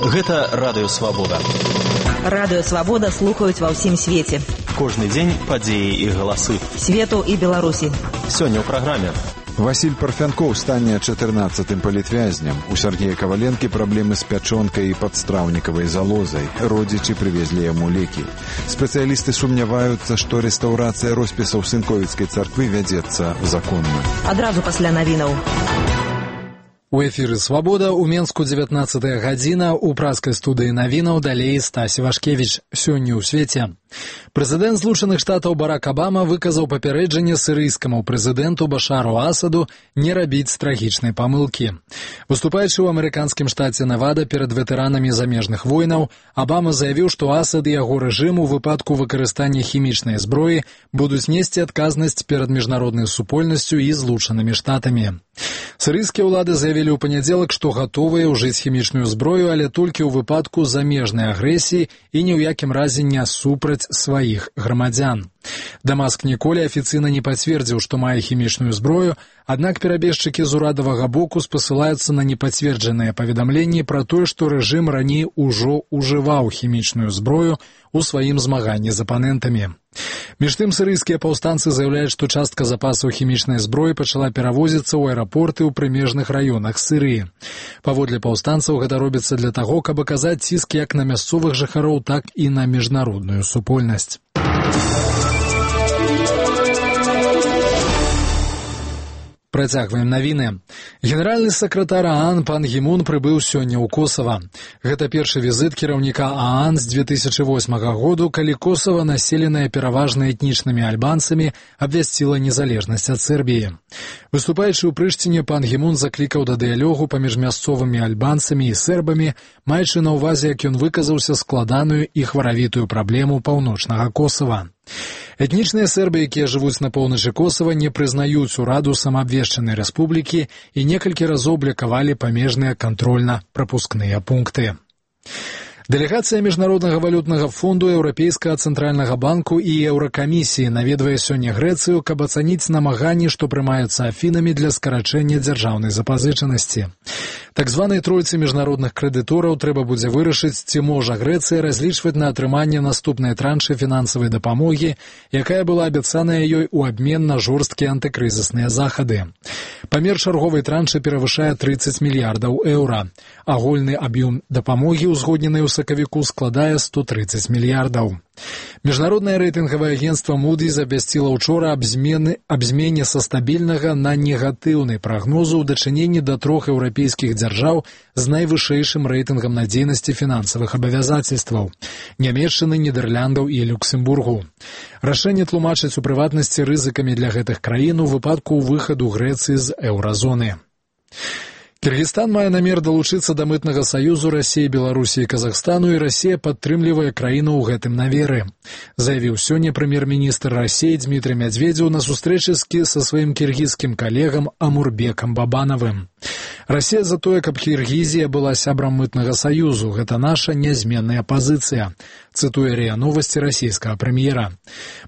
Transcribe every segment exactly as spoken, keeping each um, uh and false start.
Гэта Радыё Свабода. Радыё Свабода слухаюць ва ўсім свеце. Кожны дзень падзеі і галасы. Свету і Беларусі. Сёння ў праграме. Васіль Парфянкоў стане чатырнаццатым палітвязням. У Сергея Каваленкі праблемы з пячонкай і падстраўнікавай залозай. Родзічы прывезлі яму лекі. Спецыялісты сумняваюцца, што рэстаўрацыя роспісаў Сынковіцкай царквы вядзецца законна. Адразу пасля навінаў. У эфіры «Свабода» у Менску дзевятнаццатая гадзіна, у праскай студыі навінаў далей Стась Вашкевіч. Сёння ў свеце. Прэзідэнт Злучаных Штатаў Барак Абама выказаў папярэджанне сірыйскаму прэзідэнту Башару Асаду не рабіць трагічнай памылкі. Выступаючы ў амерыканскім штаце Невада перад ветэранамі замежных войнаў, Абама заявіў, што Асад і яго рэжым у выпадку выкарыстання хімічнай зброі будуць несці адказнасць перад міжнароднай супольнасцю і Злучанымі Штатамі. Сірыйскія ўлады заявілі ў панядзелак, што гатовыя ўжыць хімічную зброю, але толькі ў выпадку замежнай агрэсіі і ні ў якім разе не супраць сваіх грамадзян. Дамаск ніколі афіцыйна не пацвердзіў, што мае хімічную зброю, аднак перабежчыкі з урадавага боку спасылаюцца на непацверджаныя паведамленні пра тое, што рэжым раней ужо ўжываў хімічную зброю у сваім змаганні з апанентамі. Між тым, сірыйскія паўстанцы заяўляюць, што частка запасаў хімічнай зброі пачала перавозіцца ў аэрапорты ў прымежных раёнах Сірыі. Паводле паўстанцаў гэта робіцца для таго, каб аказаць ціск як на мясцовых жыхароў, так і на міжнародную супольнасць. Працягваем навіны. Генеральны сакратар ААН пан Гі Мун прыбыў сёння ў Косава. Гэта першы візіт кіраўніка ААН з дзве тысячы восьмага году, калі Косава, населенае пераважна этнічнымі альбанцамі, абвясціла незалежнасць ад Сербіі. Выступаючы ў Прыштіне, пан Гі Мун заклікаў да дыялогу паміж мясцовымі альбанцамі і сербамі, маючы на ўвазе, як ён выказаўся, складаную і хваравітую праблему паўночнага Косава. Этнічныя сербы, якія жывуць на поўначы Косава, не прызнаюць ураду самаабвешчанай рэспублікі і некалькі разоў блакавалі памежныя кантрольна-прапускныя пункты. Дэлегацыя Міжнароднага валютнага фонду, Еўрапейскага цэнтральнага банку і Еўракамісіі наведвае сёння Грэцыю, каб ацаніць намаганні, што прымаюцца Афінамі для скарачэння дзяржаўнай запазычанасці. Так званай тройцы міжнародных крэдытораў трэба будзе вырашыць, ці можа Грэцыя разлічваць на атрыманне наступнай траншы фінансавай дапамогі, якая была абяцаная ёй у абмен на жорсткія антыкрызісныя захады. Памер чарговай траншы перавышае трыццаць мільярдаў еўра. Агульны аб'ём дапамогі, узгодненай у сакавіку, складае сто трыццаць мільярдаў. Міжнароднае рэйтынгавае агенцтва Moody's абвясціла ўчора аб змене, аб змене са стабільнага на негатыўны прагнозу ў дачыненні да трох еўрапейскіх дзяржаў з найвышэйшым рэйтынгам надзейнасці фінансавых абавязацельстваў – Нямецчыны, Нідэрляндаў і Люксембургу. Рашэнне тлумачаць у прыватнасці рызыкамі для гэтых краін у выпадку выхаду Грэцыі з еўразоны. Кыргызстан мае намер далучыцца да мытнага саюзу Расіі, Беларусі і Казахстану, і Расія падтрымлівае краіну ў гэтым наверы, заявіў сёння прэм'ер-міністр Расіі Дмітрый Мядзведзеў на сустрэчы са сваім кіргізскім калегам Амурбекам Бабанавым. Расія за тое, каб Кіргізія была сябрам мытнага саюзу. Гэта наша нязменная пазіцыя, цытуе РИА Новости расійскага прэм'ера.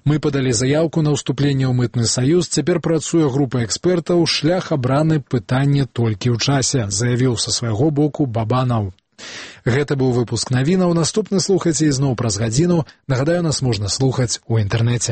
Мы падалі заявку на ўступленне ў мытны саюз, цяпер працуе група экспертаў, шлях абраны, пытанне толькі ў часе, заявіў са свайго боку Бабанаў. Гэта быў выпуск навінаў. Наступны слухайце ізноў праз гадзіну. Нагадаю, нас можна слухаць у інтэрнэце.